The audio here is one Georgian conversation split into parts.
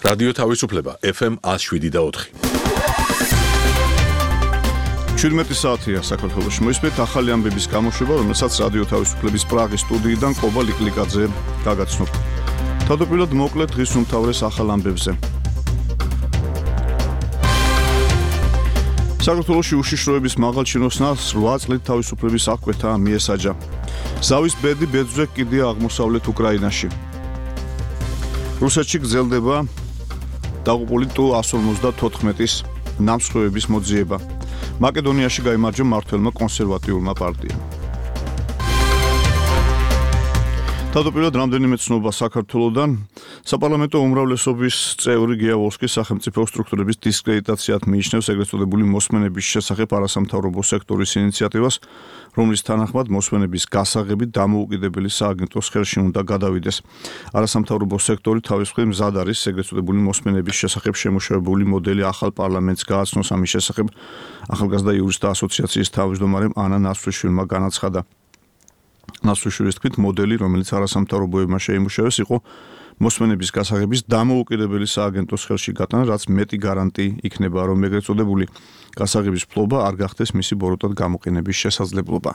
რადიო თავისუფლება FM 107.4. 17 საათია საქართველოში. მოისმენთ ახალი ამბების გამოშვება, რომელსაც რადიო თავისუფლების პრაღის სტუდიიდან ყობა ლიკლიკაძე გაგაცნობ. თავდაპირველად მოკლედ დღის უმთავრეს ახალ ამბებზე. საქართველოში უშიშროების მაღალ ჩინოსნას 8 წლით თავისუფლების აღკვეთა მიესაჯა. ზავის ბედი ბეძვზე კიდია აღმოსავლეთ უკრაინაში. რუსეთში გრძელდება დაღუპული Tu-154-ის ნამსხვრევების მოძიება. მაკედონიაში გაიმარჯვა მმართველმა კონსერვატიულმა პარტიამ. თავდაპირველად რამდენიმე ცნობა საქართველოდან საპარლამენტო უმრავლესობის წევრი გიავოლსკი სახელმწიფო სტრუქტურების დისკრედიტაციად მიიჩნევს ეგრეთ წოდებული მოსმენების შესახებ არასამთავრობო სექტორის ინიციატივას, რომლის თანახმად მოსმენების გასაღები დამოუკიდებელი სააგენტოს ხელში უნდა გადავიდეს. არასამთავრობო სექტორი თავის მხრივ მზად არის ეგრეთ წოდებული მოსმენების შესახებ შემუშავებული მოდელი ახალ პარლამენტს გააცნოს. ამის შესახებ ახალგაზრდა იურისტთა ასოციაციის თავმჯდომარემ ანა ნასვრიშვილმა განაცხადა. ნასვრიშვილის თქმით, მოდელი, რომელიც არასამთავრობოებმა შეიმუშავეს, იყო მოსმენების გასაღების დამოუკიდებელი სააგენტოს ხელში გატანა, რაც მეტი გარანტი იქნება, რომ ეგრეთ წოდებული გასაღების ფლობა არ გახდეს მისი ბოროტად გამოყენების შესაძლებლობა.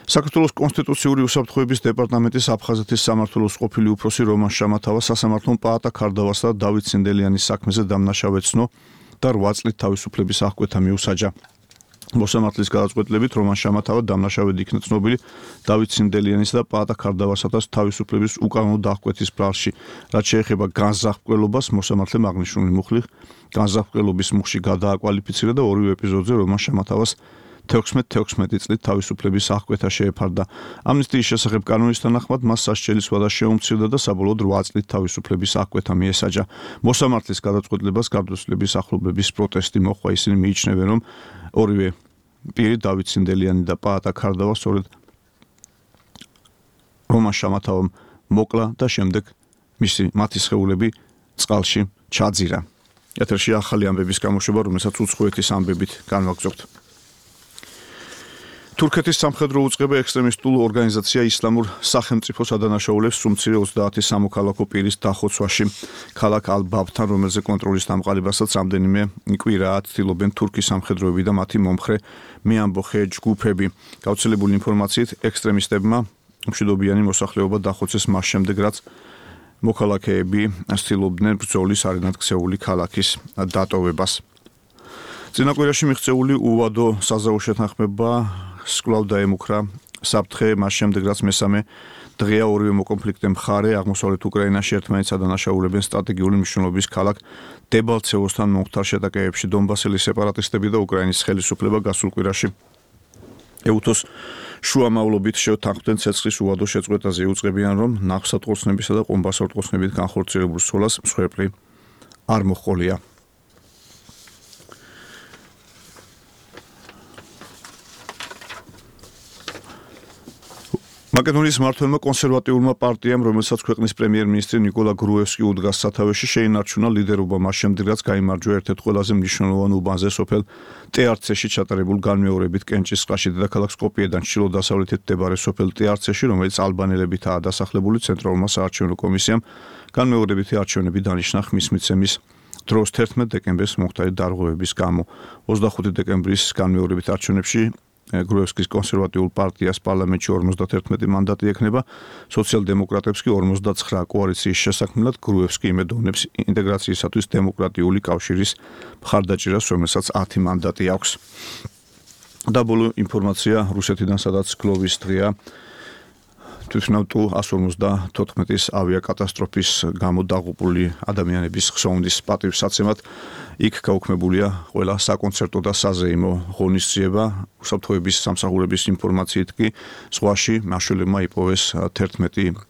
საქართველოს კონსტიტუციური უსაფრთხოების დეპარტამენტის აფხაზეთის სამმართველოს ყოფილი უფროსი რომან შამათავა სასამართლომ პაატა ქარდავასა და დავით ცინდელიანის საქმეზე დამნაშავედ ცნო და 8 წლით თავისუფლების აღკვეთა მიუსაჯა. მოსამართლის გადაწყვეტილებით რომან შამათავა დამნაშავედ იქნა ცნობილი დავით ცინდელიანის და პაატა ქარდავასათას თავისუფლების უკანონო დახკვეთის ბრალში. რაც შეეხება განზრახ-მკვლელობას, მოსამართლემ აღნიშნული მუხლი განზრახ-მკვლელობის მუხლში გადააკვალიფიცირა და ორივე ეპიზოდზე რომან შამათავას 16 წლით თავისუფლების აღკვეთა შეეფარდა. ამნისტიის შესახებ კანონის თანახმად მას სასჯელის ვადა შეუმცირდა და საბოლოოდ 8 წლით თავისუფლების აღკვეთა მიესაჯა. მოსამართლის გადაწყვეტილებას გარდაცვლილების ახლობლების პროტესტი მოჰყვა. ისინი მიიჩნევენ, რომ ორივე პირი დავით ცინდელიანი და პაატა ქარდავა სწორედ რომან შამათავამ მოკლა და შემდეგ მათი სხეულები წყალში ჩაძირა. ეთერში ახალი ამბების გამოშვება, რომელსაც უცხოეთის ამბებით განვაგრძობთ. თურქეთის სამხედრო უწყება ექსტრემისტულ ორგანიზაცია ისლამურ სახელმწიფოს ადანაშაულებს სუმცირე 30 სამოქალაქო პირის დახოცვაში. ქალაქ ალ-ბაბთან, რომელზე კონტროლის დამყარებასაც რამდენიმე კვირაა ცდილობენ თურქის სამხედროები და მათი მომხრე მეამბოხე ჯგუფები. გავრცელებული ინფორმაციით, ექსტრემისტებმა მშვიდობიანი მოსახლეობა დახოცეს მას შემდეგ, რაც მოქალაქეები ცდილობდნენ ბრძოლის არენად ქცეული ქალაქის დატოვებას. წინა კვირაში მიღწეული უვადო საზავო შეთანხმება სკვლავ დაემუქრა საფრთხე მას შემდეგ, რაც მესამე დღეა ორივე მოკონფლიქტე მხარე აღმოსავლეთ უკრაინაში ერთმანეთს ადანაშაულებენ სტრატეგიული მნიშვნელობის ქალაქ დებალცევოსთან მომხდარ შეტაკებებში. დონბასელი სეპარატისტები და უკრაინის ხელისუფლება გასულ კვირაში ეუთოს შუამავლობით შეთანხმდნენ ცეცხლის უვადო შეწყვეტაზე. იუწყებიან, რომ ნავსატყორცნებისა და ყომბასატყორცნებით განხორციელებულ სროლას მსხვერპლი არ მოჰყოლია. მაკედონიის მმართველმა კონსერვატიულმა პარტიამ, რომელსაც ქვეყნის პრემიერ-მინისტრი ნიკოლა გრუევსკი უდგას სათავეში, შეინარჩუნა ლიდერობა მას შემდეგ, რაც გაიმარჯვა ერთ-ერთ ყველაზე მნიშვნელოვან უბანზე სოფელ ტეარცეში ჩატარებულ განმეორებით კენჭისყრაში. დედაქალაქ სკოპიედან ჩრდილო-დასავლეთით მდებარე სოფელ ტეარცეში, რომელიც ალბანელებითაა დასახლებული, ცენტრალურმა საარჩევნო კომისიამ განმეორებითი არჩევნები დანიშნა ხმის მიცემის დროს 11 დეკემბერს მომხდარი დარღვევების გამო. 25 დეკემბრის განმეორებით არჩევნებში გრუევსკის კონსერვატიულ პარტიას პარლამენტში 51 მანდატი ექნება, სოციალ-დემოკრატებს კი 49. კოალიციის შესაქმნელად გრუევსკი იმედოვნებს ინტეგრაციისათვის დემოკრატიული კავშირის მხარდაჭერას, რომელსაც 10 მანდატი აქვს. და ბოლო ინფორმაცია რუსეთიდან, სადაც გლოვის დღეა თვითმფრინავ Tu-154-ის ავიაკატასტროფის გამო დაღუპული ადამიანების ხსოვნის პატივსაცემად იქ გაუქმებულია ყველა საკონცერტო და საზეიმო ღონისძიება. უსაფრთხოების სამსახურების ინფორმაციით კი ზღვაში მაშველებმა იპოვეს 11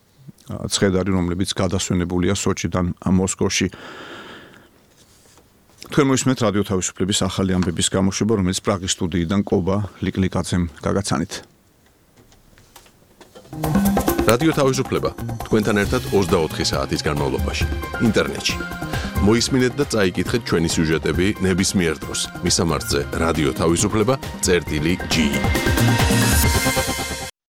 ცხედარი, რომლებიც გადასვენებულია სოჩიდან მოსკოვში. თქვენ მოისმენთ რადიო თავისუფლების ახალი ამბების გამოშვება, რომელიც პრაღის სტუდიიდან ყობა ლიკლიკაძემ გაგაცანით. რადიო თავისუფლება თქვენთან ერთად 24 საათის განმავლობაში ინტერნეტში. მოისმინეთ და წაიკითხეთ ჩვენი სიუჟეტები ნებისმიერ დროს. მისამართზე რადიო თავისუფლება.ge